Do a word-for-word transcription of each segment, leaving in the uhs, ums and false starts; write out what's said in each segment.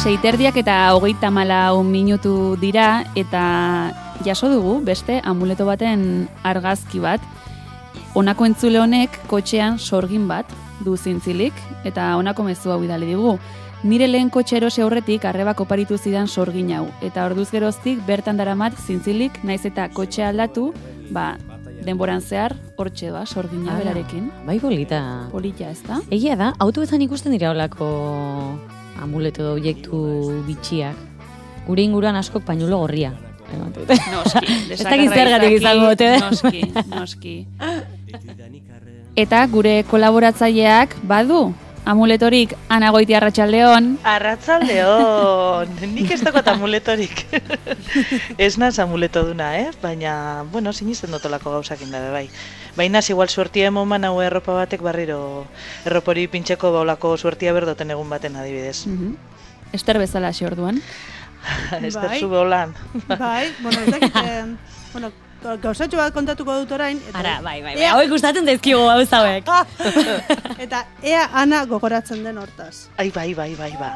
seiterdiak eta hogeita malau minutu dira eta jaso dugu beste amuleto baten argazki bat. Honako entzule honek kotxean sorgin bat du zintzilik eta honako mezu hau bidali digu. Nire lehen kotxe erosi aurretik arrebak oparitu zidan sorgin hau eta orduz geroztik bertan daramat zintzilik naiz eta kotxea aldatu, ba, denboran zehar hortxe ba, sorgina berarekin. Bai polita. Polita, ez da? Egia da, autoetan ikusten dira holako amuleto objektu bitxiak. Gure inguruan askok pañuelo gorria. Noski, ez dakit zergatik izango dute. Noski, noski. Eta gure kolaboratzaileak badu amuletorik Ana Goiti Arratsaldeon. Arratsaldeon. Nik ez dakot amuletorik. Ez naz amuleto duna, eh? Baina, bueno, sinisten dotolako gauzak indabe, bai. Baina, igual suertia emoman hau erropa batek barriro erropori pintxeko baulako suertia berdoten egun baten adibidez. Uh-huh. Ester bezala xe orduan. Ester bai. Zube holan. Bai, bueno, ez dakit, bueno, gauzatxo bat kontatuko dut orain. Eta Ara, bai, bai, bai, hau ikustatzen daizkigu gauz hauek. Eta ea Ana gogoratzen den hortaz. Ai, bai, bai, bai, ba.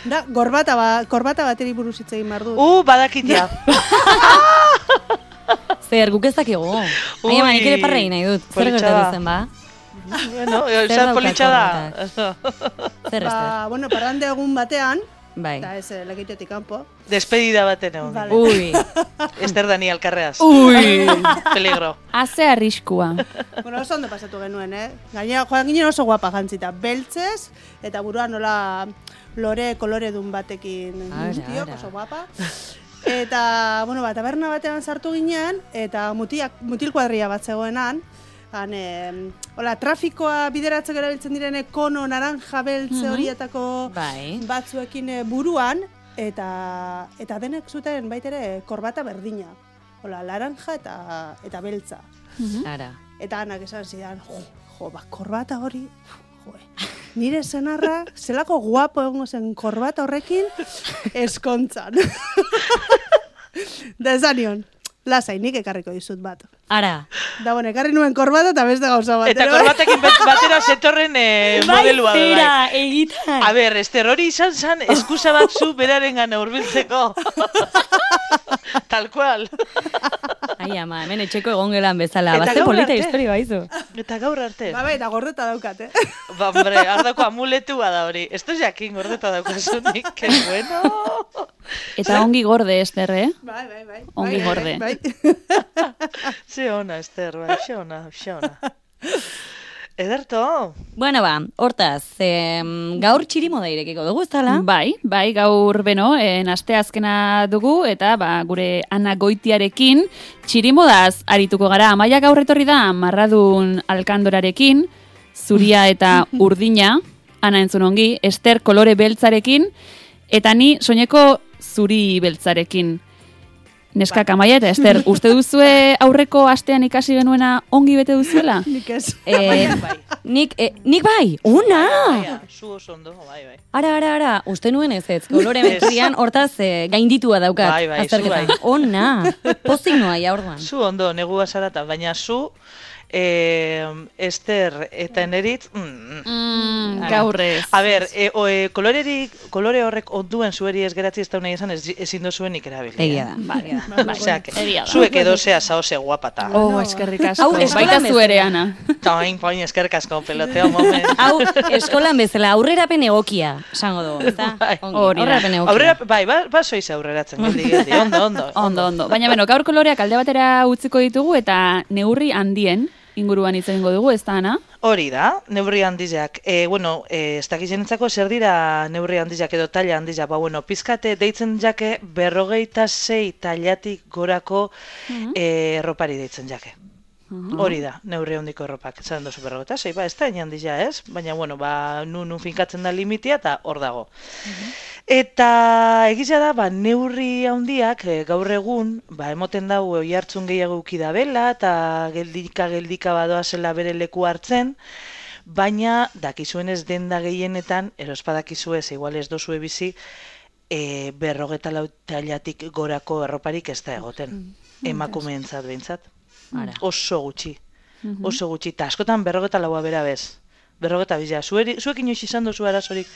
Da, gorbata, ba, gorbata bateri buruz hitz egin behar dut. Uh, badakitia. Zer, guk ez dakigu. Ai, ama, nik ere parrei nahi dut. Zer gertatu zen, ba? Bueno, zer politxa da. Zer, ba, bueno, parrande egun batean, bai. Eta ez, lekitetik kanpo. Despedida baten egon. Vale. Ui. Ester Daniel Carreas. Ui. Peligro. Haze arriskua. Bueno, oso ondo pasatu genuen, eh? Gainera, joan ginen oso guapa jantzita. Beltzez, eta buruan nola lore koloredun batekin guztiok, oso guapa. Eta, bueno, ba, taberna batean sartu ginean, eta mutiak, mutil kuadria bat zegoenan, han, eh, hola, trafikoa bideratzeko erabiltzen direne kono naranja beltze horietako bai. batzuekin buruan, eta eta denek zuten baitere korbata berdina. Hola, laranja eta eta beltza. Ara. Eta Anak esan zidan, jo, jo, ba, korbata hori, jo, nire senarra, zelako guapo egongo zen korbata horrekin, eskontzan. Da esan nion, lasai, nik ekarriko dizut bat. Ara. Da, bueno, ekarri nuen korbata eta beste gauza bat. Eta korbatekin batera zetorren eh, modelua. Bai, zera, egitan. A ber, Ester, hori izan zan, eskusa bat zu beraren gana urbiltzeko. Tal cual. Ai, ama, hemen etxeko egon gelan bezala. Bazte polita historia baizu. Eta gaur arte. Ba, bai, eta gordeta daukat, eh? Ba, hombre, ardako amuletua da hori. Ez da jakin gordeta daukazunik, que bueno. Eta ongi gorde, Ester, eh? Bai, bai, bai. Ongi bai, gorde. Bai, bai. Ze ona, Ester, bai, xe ona, xe ona. Ederto. Bueno, ba, hortaz, eh, gaur txirimoda irekiko dugu, ez dala? Bai, bai, gaur beno, en aste azkena dugu, eta ba, gure Ana Goitiarekin txirimodaz arituko gara. Amaia gaur etorri da Marradun Alkandorarekin, zuria eta urdina, Ana entzun ongi, Ester kolore beltzarekin, eta ni soineko zuri beltzarekin. Neskak Amaia eta Ester, uste duzue aurreko astean ikasi genuena ongi bete duzuela? Nik ez. Eh, nik, eh, nik bai, una! Baina, zu oso ondo, bai, bai. Ara, ara, ara, uste nuen ez ez, kolore metrian hortaz eh, gainditua daukat. Bai, bai, zu bai. Ona, pozik noa, ja orduan. Zu ondo, negua zarata, baina zu, eh, Ester eta Eneritz, mm, Mm, gaur ez. A ber, e, o, e, kolorerik, kolore horrek onduen zueri ez geratzi ez da nahi esan, ez, ezin dozuen ikerabili. Egia da. Bai, bai, Oseak, egia da. zuek edo zea zaoze guapata. Oh, eskerrik asko. Hau, eskolan Baita bezala. zu ere, Ana. Tain, pain, eskerrik asko, peloteo moment. Hau, eskolan bezala, aurrerapen egokia, esango dugu, ezta? Bai. Ongi, Hori da. aurrerapen egokia. Aurrera, bai, ba, ba soiz aurreratzen, geldi, geldi, ondo, ondo. Ondo, ondo. Baina, beno, gaur koloreak alde batera utziko ditugu eta neurri handien inguruan hitz egingo dugu, ez da, Ana? Hori da, neurri handizak. E, bueno, e, ez dakizenetzako zer dira neurri handizak edo taila handizak. Ba, bueno, pizkate deitzen jake berrogeita sei tailatik gorako e, erropari deitzen jake. Hori da, neurri handiko erropak. Zaren dozu berrogeita sei, ba, ez da hain handiza ez, baina, bueno, ba, nun nun finkatzen da limitia eta hor dago. Eta egizia da, ba, neurri handiak e, gaur egun, ba, emoten dago oihartzun gehiago ukidabela eta geldika-geldika badoa zela bere leku hartzen, baina dakizuen ez denda gehienetan, erospadakizue ez, igual ez dozue bizi, e, berrogeta lau tailatik gorako erroparik ez da egoten, emakumeentzat behintzat. Ara. Oso gutxi, oso gutxi, eta askotan berrogeta laua bera bez, berrogeta bizia. Zuek inoiz izan dozu arazorik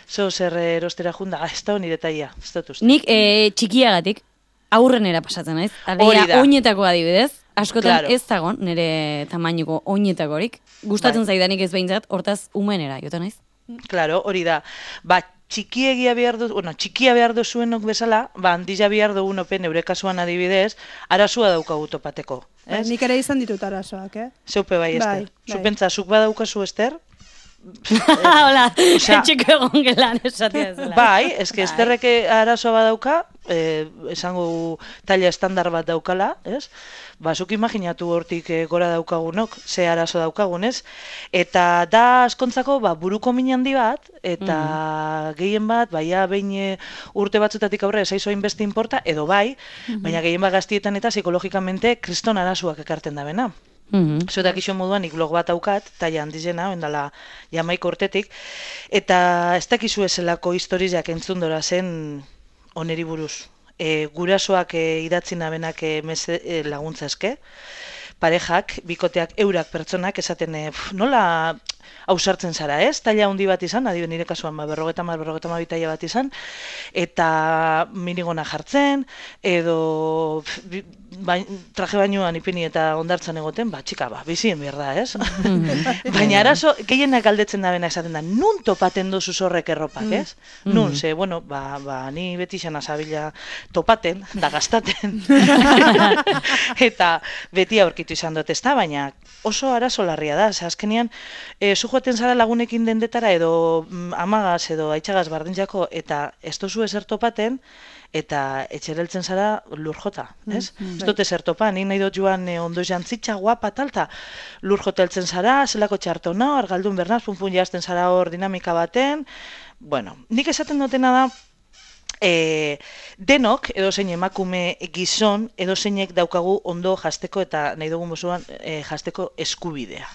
zo zer erostera junda, ah, ez da nire taia, ez dut uste. Nik e, txikiagatik aurrenera pasatzen naiz. Hori da. Oinetako adibidez, askotan Claro. ez dagon nire tamainuko oinetakorik. Gustatzen Bai. zaidanik ez behintzat, hortaz umenera, jota naiz. Claro, hori da. Ba, txikiegia behar du, bueno, txikia behar du zuenok bezala, ba, handila behar dugun open, neure kasuan adibidez, arazua daukagu topateko. Bai, Ez? nik ere izan ditut arazoak, eh? Zeupe bai, Ester. Bai, bai. Zupentza, zuk badaukazu, Ester? Hola, Osea- etxeko egon gelan esatia ezela. Bai, eske Esterrek arazoa badauka, eh, esango taila estandar bat daukala, ez? Ba, zuk imaginatu hortik eh, gora daukagunok, ze arazo daukagun, ez? Eta da askontzako, ba, buruko min handi bat, eta gehien bat, baia behin eh, urte batzutatik aurre esaizu hainbeste inporta, edo bai, baina gehien bat gaztietan eta psikologikamente kriston arazoak ekarten da bena. Mhm. Zuetak iso moduan, nik blog bat daukat, taia handizena, ondala jamaik urtetik, eta ez dakizu ezelako historiak entzundora zen oneri buruz. E, gurasoak e, idatzi nabenak e, meze, e, laguntza eske, parejak, bikoteak, eurak pertsonak, esaten e, pf, nola ausartzen zara, ez? Taila handi bat izan, adio nire kasuan, ba, berrogeta mar, berrogeta ma taila bat izan, eta minigona jartzen, edo pf, bi- bain, traje bainuan ipini eta ondartzan egoten, ba, txika, ba, bizien behar da, ez? Baina arazo, gehienak galdetzen da bena esaten da, nun topaten dozu horrek erropak, ez? Nun, ze, bueno, ba, ba, ni beti xana zabila topaten, da gastaten, eta beti aurkitu izan dut, ezta, baina oso arazo larria da, ze azkenean, e, zu joaten zara lagunekin dendetara, edo mm, amagaz, edo aitxagaz bardintzako, eta ez dozu ezer topaten, eta etxereltzen zara lur jota, ez? Ez dut ezer topa, nik nahi dut joan e, ondo jantzitxa, guapa, talta, lur jota heltzen zara, zelako txartona, argaldun bernaz, punpun jazten zara hor dinamika baten, bueno, nik esaten dutena da, E, denok, edo zein emakume gizon, edo zeinek daukagu ondo jasteko eta nahi dugun mozuan e, jasteko eskubidea.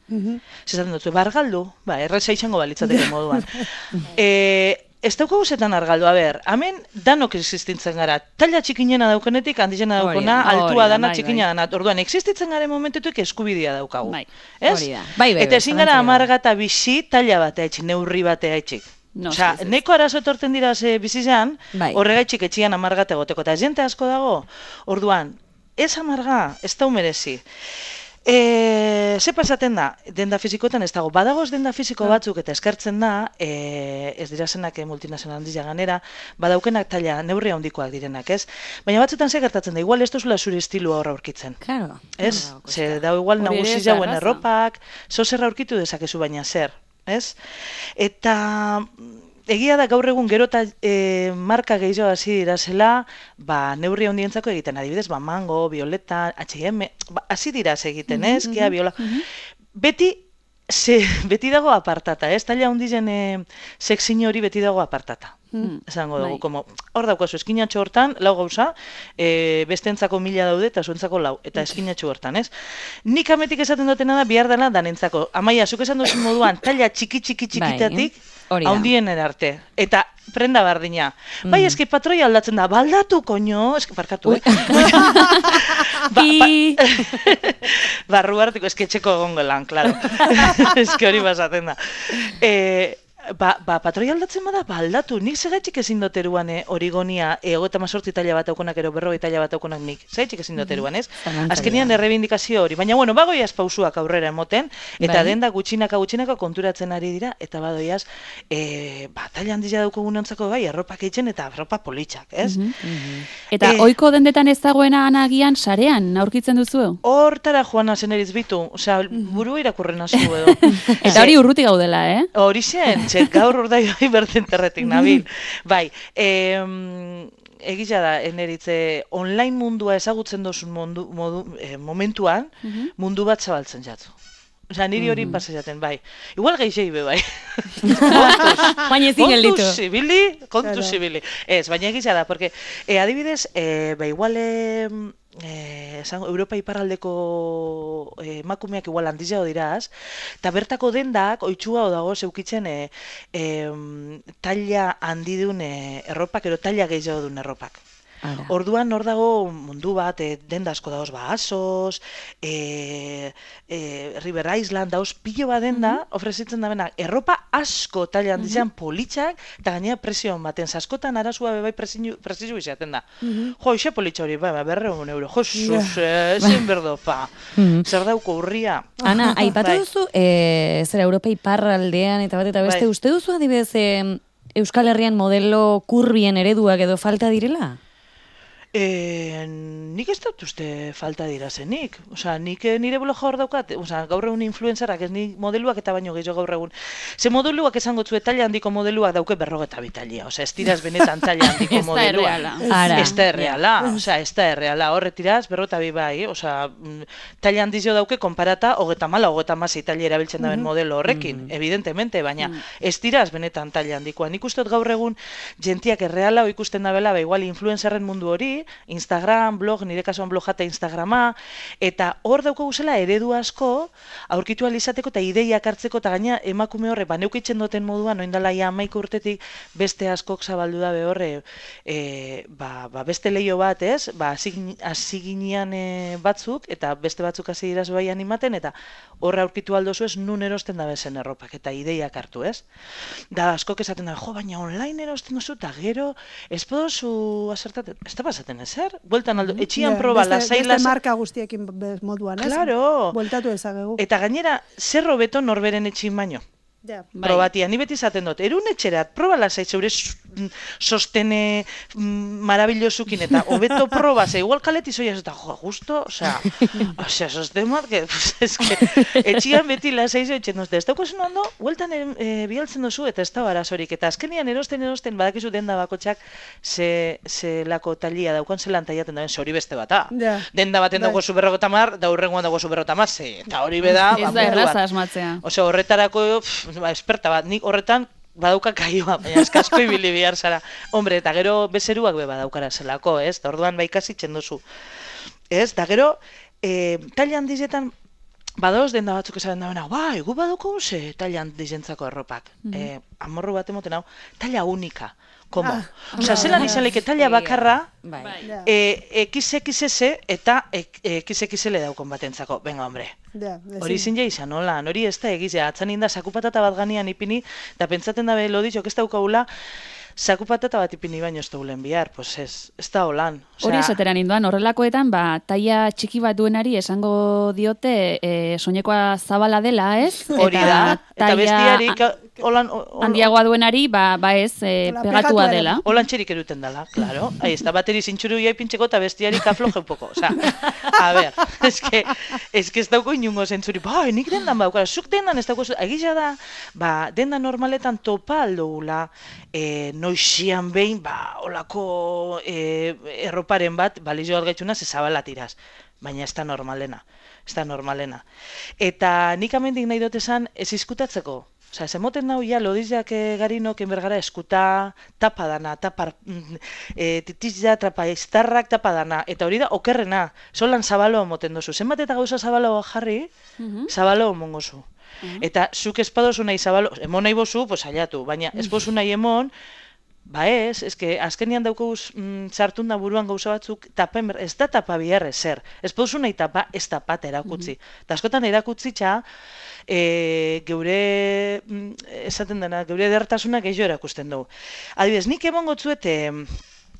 Zezaten dut, bargaldu, ba, erreza izango balitzateke moduan. E, ez daukagu zetan argaldu, a ber, hemen danok existitzen gara, taila txikinena daukenetik, handizena Hori daukona, da, altua hori da, dana, bai, txikina dana, orduan, existitzen gara momentetuek eskubidea daukagu. Bai. Ez? Hori da. Bai, bai, Eta bai, ezin gara zalantzarik gabe. amarga eta bizi taila batea etxik, neurri batea etxik. No, Osea, ez, ez. neko arazo etorten dira ze bizizan, Bai. horregaitxik etxian amargat egoteko, eta jente asko dago, orduan, ez amarga, ez da merezi. E, ze pasaten da, denda fizikoetan ez dago, badagoz denda fiziko batzuk eta eskertzen da, e, ez dira zenak multinazional handia ganera, badaukenak taila neurri handikoak direnak, ez? Baina batzutan ze gertatzen da, igual ez duzula zure estilua horra aurkitzen. Claro. Ez? Claro, Ze da igual Hori ere nagusi ez da jauen erraza. erropak, zo zer aurkitu dezakezu baina zer, ez? Eta egia da gaur egun gero eta e, marka gehiago hasi dira zela, ba, neurri handientzako egiten, adibidez, ba, Mango, Violeta, H and M, ba, hasi dira egiten, ez? Kia, Viola. Beti, ze, beti dago apartata, ez? Taila handien e, sexin hori beti dago apartata. Esango dugu, Bai. como, hor daukazu, eskinatxo hortan, lau gauza, e, bestentzako mila daude eta zuentzako lau, eta eskinatxo hortan, ez? Nik ametik esaten dutena da, bihar dela danentzako. Amaia, zuk esan duzu moduan, taila txiki txiki txikitatik, hori da. handien erarte. Eta prenda bardina. Bai, eski patroi aldatzen da, baldatu, koño, eski parkatu, eh? ba, I... Barru hartiko esketxeko egongo lan, klaro. Eski hori basaten da. E, ba, ba, patroi aldatzen bada, ba, aldatu. Nik segaitxik ezin doteruan eh, origonia, e, hogeita mazortzi taila bat aukonak, ero berrogei taila bat aukonak nik. Segaitxik ezin doteruan, ez? Zalantzarik Azkenian gabe. errebindikazio hori. Baina, bueno, bagoiaz pausuak aurrera emoten, eta Bai. denda gutxinaka gutxinaka konturatzen ari dira, eta badoiaz, e, ba, taila handia daukogunontzako bai, arropak eitzen eta arropa politxak, ez? Eta Eh, ohiko dendetan ez dagoena anagian sarean aurkitzen duzu? Hortara joana zen eritz bitu, osea, buru irakurrena zu edo. Eta hori urruti gaudela, eh? Hori zen, txek gaur urdai bai berdenterretik nabil. Bai, em, egia da, eneritze, online mundua ezagutzen dozun mundu, modu, eh, momentuan, mundu bat zabaltzen jatzu. Osea, niri hori pasa jaten, bai. Igual geixei be, bai. Baina ezin gelditu. Kontuz zibili, kontuz Claro. zibili. Ez, baina egia da, porque, eh, adibidez, eh, ba, igual, eh, eh, esango, Europa iparraldeko eh, emakumeak igual handiago diraz, eta bertako dendak, oitxua dago zeukitzen eh, eh, taila handidun eh, erropak, ero taila gehiago dun erropak. Ara. Orduan hor dago mundu bat, e, denda asko dauz, ba, Asos, e, e, River Island, dauz pilo bat denda, mm -hmm. ofrezitzen da benak, erropa asko taila handizan mm -hmm. politxak, eta gainera presio baten, zaskotan arazua bebai presio izaten da. Mm -hmm. Jo, ise politxa hori, ba, berreun euro, jo, sus, yeah. ezin berdo, pa, mm -hmm. zer dauko urria. Ana, aipatu bai. duzu, e, zera Europa iparraldean eta bat eta beste, bai. uste duzu adibidez e, Euskal Herrian modelo kurbien ereduak edo falta direla? E, nik ez dut uste falta dira zenik. Osa, nik nire bloga hor daukat, osa, gaur egun influenzarak, ez nik modeluak eta baino gehiago gaur egun. Ze modeluak esango zue taila handiko modeluak dauke berrogeta bitalia. Osa, ez tiraz benetan taila handiko modeluak. Ez da erreala. Osa, ez da erreala. Horre tiraz, berrogeta bi bai. Osa, taila handizio dauke konparata, hogeta mala, hogeta masi taila erabiltzen daben modelo horrekin, mm -hmm. evidentemente, baina mm. ez tiraz benetan taila handikoa. Nik uste gaur egun jentiak erreala, o ikusten da bela, ba, igual influenzarren mundu hori, Instagram, blog, nire kasuan blog jata Instagrama, eta hor dauko guzela eredu asko, aurkitu alizateko eta ideiak hartzeko, eta gaina emakume horre, ba, neukitzen duten moduan, oindala ja amaik urtetik beste askok zabaldu dabe horre, e, ba, ba, beste leio bat, ez, ba, hasi ginean e, batzuk, eta beste batzuk hasi iraz baian imaten, eta horre aurkitu aldozu ez, nun erosten da bezen erropak, eta ideiak hartu, ez. Da, askok esaten da, jo, baina online erosten duzu, eta gero, ez podozu asertaten, ez da pasaten ezer? Bueltan aldo, etxian yeah, proba, lasai, lasai. Beste marka guztiekin moduan, ez? Claro. Bueltatu ezagegu. Eta gainera, zer hobeto norberen etxin baino. Yeah. Probatia, ni beti izaten dut, erun etxerat, proba lasai, zeure sostene marabillosukin, eta hobeto proba, ze igual kaleti zoia, eta jo, justo, osea, osea, sosten bat, que, pues, es que, etxian beti lasai zoitzen duzte, ez daukozen ondo, hueltan e, bialtzen duzu, eta ez da arazorik, eta azkenian erosten erosten, badakizu denda bakotxak, ze, ze lako talia daukan, zelan taiaten dauen, ze hori beste bata. Yeah. Denda baten dago zu berrogeta mar, da hurrengoan dago zu berrogeta mar, ze, eta hori beda, ez da erraza asmatzea. Osea, horretarako, pff, ba, esperta bat, nik horretan, badauka kaioa, baina eskasko ibili bihar zara. Hombre, eta gero bezeruak be badaukara zelako, ez? Da orduan bai ikasitzen duzu. Ez? Da gero, e, taila handizetan, badoz denda batzuk esaten da, ba, egu badauko ze taila handizentzako erropak. Mm -hmm. e, amorru bat emoten hau, taila unika. Komo? Ah, Osa, no, zelan izan leke taila bakarra, X X S eta X X L daukon batentzako. Venga, hombre. Hori izin ja izan, hola, hori ez da egizea. Atzan inda, sakupatata bat ganian ipini, eta pentsaten dabe, lo ditxok ez daukagula, sakupatata bat ipini baino ez daulen bihar, pues ez, ez da holan. Hori esateran induan, horrelakoetan, ba, taia txiki bat duenari esango diote e, soinekoa zabala dela, ez? Hori da, eta bestiarik... Olan, handiagoa duenari, ba, ba ez, e, pegatua dela. Holan txerik eruten dela, claro. Ahí está, bateri zintxuru jai pintxeko eta bestiarik afloje un poco. Osa, a ver, es que, es que ez dauko inungo zentzuri, ba, nik dendan baukara, zuk dendan ez dauko, egisa da, ba, dendan normaletan topa aldoula, e, noixian behin, ba, holako e, erroparen bat, balizio algaitxuna, zezabala tiraz. Baina ez da normalena, ez da normalena. Eta nik amendik nahi dut esan, ez izkutatzeko. Osa, ez emoten nau ja, lodiziak e, garinok enbergara eskuta tapa dana, tapa, e, titizia, trapa, iztarrak tapa dana. Eta hori da, okerrena, solan zabalo emoten dozu. Zenbat eta gauza zabalo jarri, mm -hmm. zabalo emongozu. Mm -hmm. Eta zuk espadozu nahi zabalo, emon nahi bozu, pues aliatu, baina espozu nahi emon, ba ez, eske azkenian daukaguz mm, sartun da buruan gauza batzuk, tapen, ez da tapa biharre zer. Espozu nahi tapa, ez tapat erakutzi. Eta mm -hmm. askotan erakutzi txa, E, geure, esaten dena, geure edertasuna gehiago erakusten dugu. Adibidez, nik emongo tzuet e,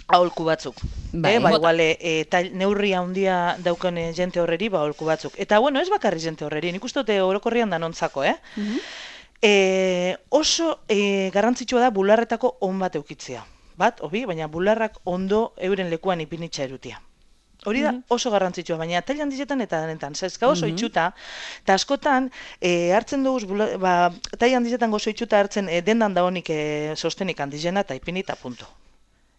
aholku batzuk. Bai, e, ba, igual, e, eta neurri handia dauken e, jente horreri, ba, aholku batzuk. Eta, bueno, ez bakarri jente horreri, nik uste dute orokorrian da nontzako, eh? Mm-hmm. e, oso e, garrantzitsua da bularretako on bat eukitzea. Bat, obi, baina bularrak ondo euren lekuan ipinitza erutia. Hori da oso garrantzitsua, baina taila handizetan eta denetan. Zezka oso itxuta, eta askotan e, hartzen dugu, ba, taila handizetan gozo itxuta hartzen e, dendan da honik e, sostenik handizena eta ipini eta punto.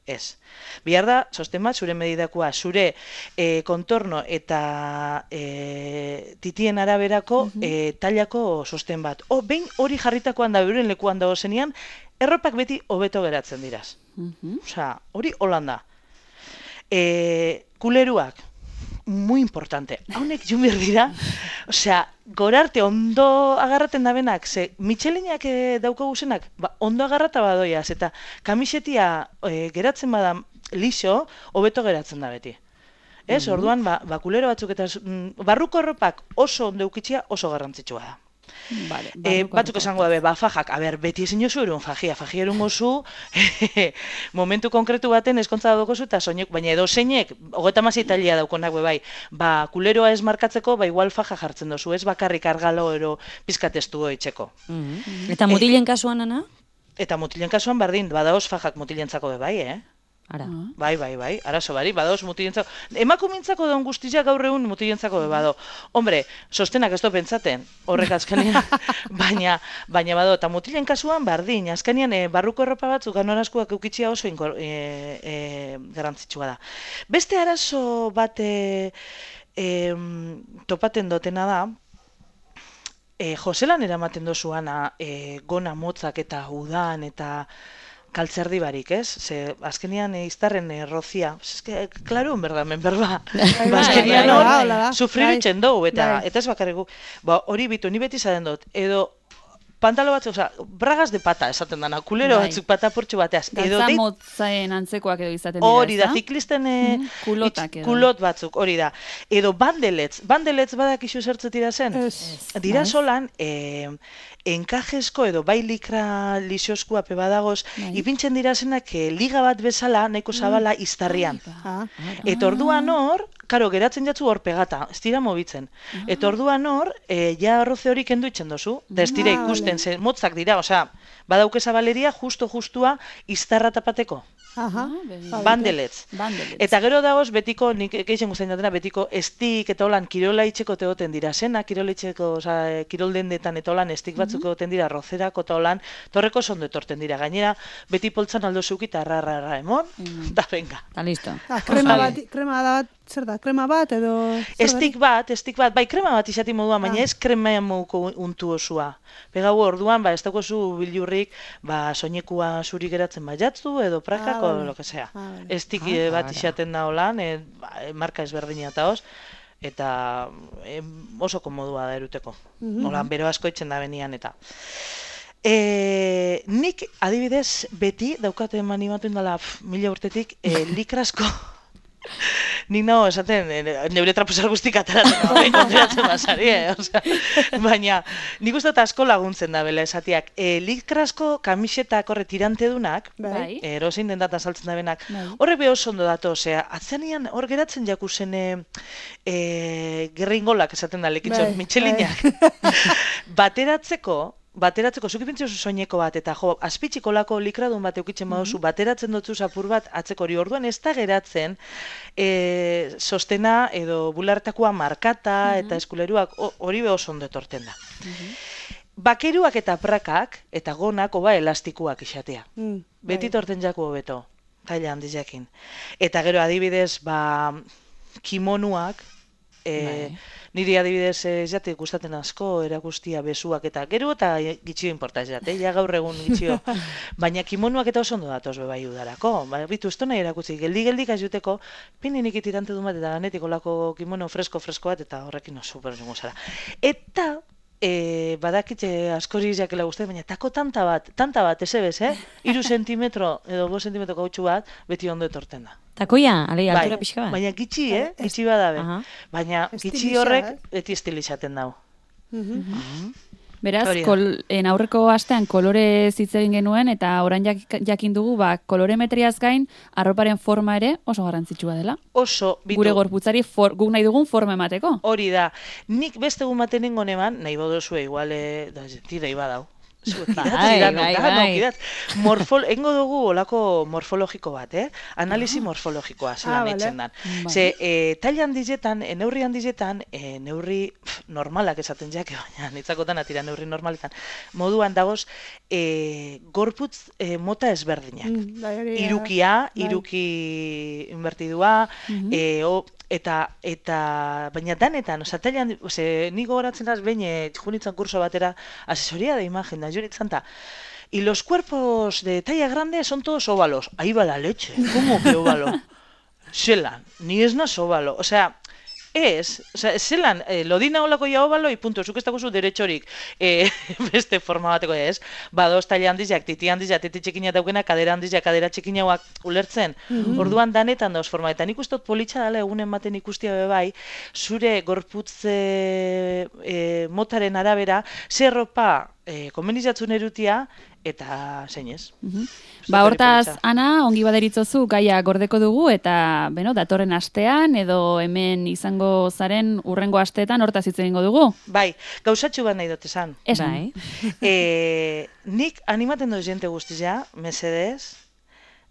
Ez. Bihar da, sosten bat, zure medidakua, zure e, kontorno eta e, titien araberako uh -huh. e, tailako sosten bat. O, behin hori jarritakoan da, euren lekuan dago zenean, erropak beti hobeto geratzen diraz. Uh -huh. Osa, hori holanda. E, kuleruak, muy importante. Haunek jumir dira, osea, gorarte ondo agarraten dabenak, ze Michelinak e, dauko guzenak, ba, ondo agarrata badoiaz, eta kamisetia e, geratzen bada lixo, hobeto geratzen da beti. Ez, mm-hmm. orduan, ba, ba, kulero batzuk eta mm, barruko erropak oso ondo eukitzia oso garrantzitsua da. Vale, e, batzuk esango dabe, ba, fajak, a ber, beti ezin jozu erun fajia, fajia erun gozu, momentu konkretu baten eskontza dagozu, eta soinek, baina edo zeinek, hogeta masi italia daukonak bai, ba, kuleroa ez markatzeko, ba, igual faja jartzen dozu, ez bakarrik argalo ero pizkatestu itxeko. Mm-hmm. Eta mutilen kasuan, ana? Eta mutilen kasuan bardin, badaoz fajak mutilentzako be bai, eh? Ara. Bai, bai, bai, arazo bari, badaoz mutilentzako. Emakumintzako daun guztia gaur egun mutilentzako be bado. Hombre, sostenak ez do pentsaten, horrek azkenean, baina, baina bado, eta mutilen kasuan bardin, azkenean e, barruko erropa batzuk ganorazkuak eukitzia oso inkor, e, e, garantzitsua da. Beste arazo bat e, e, topaten dotena da, e, Joselan eramaten dozuana e, gona motzak eta udan eta kaltzerdi barik, ez? Ze, azkenian e, iztarren e, rozia. Ez que, klaro, berda, men berba. Azkenian hor, sufribitzen dugu, eta, eta ez bakarrik. Ba, hori bitu, ni beti zaten dut. Edo, pantalo batzuk, oza, bragas de pata esaten dana, kulero batzuk pata portxo bateaz. Galtza motzaen antzekoak edo izaten dira, hori da, ziklisten e, mm, kulotak edo. Kulot batzuk, hori da. Edo bandeletz, bandeletz badak isu zertze dira zen? Es. Dira solan, e, enkajesko edo bai likra lixoskua pe badagoz, ipintzen dira zenak e, liga bat bezala, nahiko zabala iztarrian. Ah. Eta orduan hor, karo, geratzen jatzu hor pegata, ez dira mobitzen. Eta orduan hor, e, ja arroze hori kendu itzen dozu, da ez dira ikusten, ze, motzak dira, osea, badauke zabaleria justo-justua iztarra tapateko. Aha. Bandeletz. Eta gero dagoz betiko, nik eixen guztain datena, betiko estik eta holan kirola itxeko tegoten dira zena, kirola itxeko, oza, kirol dendetan eta holan estik batzuk egoten dira rozerako eta holan, torreko sondo etorten dira. Gainera, beti poltzan aldo zeuki eta rarra emon, eta venga. Eta listo. Ah, krema bat, krema bat, zer da, krema bat edo... Estik bat, estik bat, bai krema bat izati moduan, baina ez krema moduko untu osua. Pegau orduan, ba, ez daukozu bilurrik, ba, soinekua zuri geratzen baiatzu, edo prakako, ah, lo que sea. Ah, estik ah, bat izaten da holan, e, ba, marka ezberdina eta hoz, eta e, oso komodua da eruteko. Mm-hmm. Holan, bero asko itxen da benian eta... E, nik adibidez beti daukate animatu indala mila urtetik e, likrasko nik nago esaten neure traposar guztik ataratzen no, kontratzen basari, eh? Osea, baina nik uste asko laguntzen da bela esatiak e, likrasko kamisetak horre tirante dunak bai. erosin den data saltzen da benak horre beho ondo dato, osea, atzenean hor geratzen jakuzen e, e, gerringolak esaten da lekitxo mitxelinak bateratzeko bateratzeko, zuki pintzio soineko bat, eta jo, azpitxiko lako likradun bat eukitzen baduzu, bateratzen dutzu zapur bat atzeko hori orduan ez da geratzen e, sostena edo bulartakoa markata eta eskuleruak hori beho ondo etorten da. Bakeruak eta prakak eta gonak oba elastikuak isatea. Beti torten jako hobeto, taila handiz jakin. Eta gero adibidez, ba, kimonuak, e, niri adibidez ez jate gustaten asko erakustia besuak eta gero eta gitxio inporta ez jate, ja gaur egun gitxio. Baina kimonuak eta oso ondo datoz bebai udarako. Ba, bitu, ez nahi erakutsi, geldi-geldik azuteko, pininik itirante du bat eta ganetik olako kimono fresko-fresko bat eta horrekin no, super zengo zara. Eta E, badakitze askori jakela guzti, baina tako tanta bat, tanta bat, ez ebez, eh? Iru sentimetro edo bo sentimetro gautxu bat, beti ondo etorten da. Takoia, alei, altura pixka bat? Baina gitxi, eh? Gitxi badabe. Baina gitxi horrek beti estilizaten dau. Beraz, kol, en aurreko astean kolore hitz egin genuen, eta orain jak, jakin dugu, ba, kolorimetriaz gain, arroparen forma ere oso garrantzitsua dela. Oso, bitu. Gure gorputzari for, guk nahi dugun forma emateko. Hori da. Nik beste egun baten nengon eman, nahi bodozue, igual, e, da, tira ibadau. Bai, bai, bai. Morfol, engo dugu olako morfologiko bat, eh? Analisi morfologikoa zelan etxen dan. Ze, e, taila handizetan, e, neurri handizetan, e, neurri pf, normalak esaten jake, baina nitzakotan atira neurri normaletan. Moduan dagoz, e, gorputz e, mota ezberdinak. Mm, bai, irukia, bai. iruki invertidua, mm-hmm. e, o, eta, eta, baina danetan, oza, tailan, ose, ni gogoratzen az, behin, e, junitzen kurso batera, asesoría de imagen, da junitzen ta, y los cuerpos de talla grande son todos óvalos. Ahí va la leche, ¿cómo que óvalo? Zelan, ni ez naz óvalo, o sea, ez, oza, zelan, eh, lodina olako jau baloi, punto, zuk ez dagozu deretxorik eh, beste forma bateko ez, badoz taila handizak, titi handizak, titi txikina daukena, kadera handizak, kadera txikinauak ulertzen, mm-hmm. orduan danetan dauz forma, eta nik ustot politxa dala egunen baten ikustia bebai, zure gorputze e, motaren arabera, zer ropa e, konbenizatzen erutia, eta zeinez. Mm-hmm. Ba, hortaz, Ana, ongi baderitzozu gaia gordeko dugu, eta, beno, datorren astean, edo hemen izango zaren urrengo asteetan hortaz hitz egingo dugu. Bai, gauzatxu bat nahi dut esan. Esan. Bai. e, nik animaten doz jente guztizia, mesedez,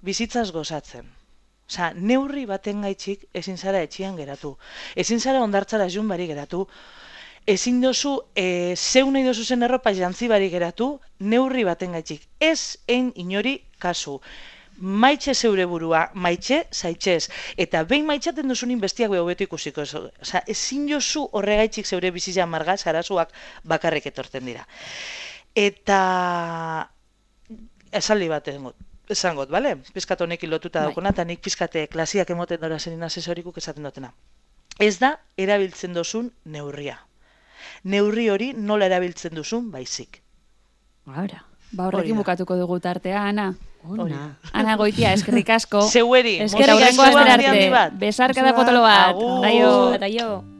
bizitzaz gozatzen. Osa, neurri baten gaitxik ezin zara etxian geratu. Ezin zara ondartzara jun bari geratu. Ezin dozu, e, zeu nahi dozu zen erropa jantzi bari geratu, neurri baten gaitxik. Ez ein inori kasu. Maitxe zeure burua, maitxe zaitxez. Eta behin maitxaten duzunin bestiak beho beto ikusiko. Osa, ezin jozu horregaitxik zeure bizitza marga, zarazuak bakarrik etorten dira. Eta esaldi bat egot. Esangot, bale? Pizkat honekin lotuta daukona, eta nik pizkate klasiak emoten dora zenin asesorikuk esaten dutena. Ez da, erabiltzen duzun neurria. Neurri hori nola erabiltzen duzun baizik. Ahora. Ba, horrekin bukatuko dugu tartea, Ana. Ona. Ana Goitia, eskerrik asko. Zeueri. Eskerrik asko astera arte. Besarka da potolo bat. Agur. Aio. Aio.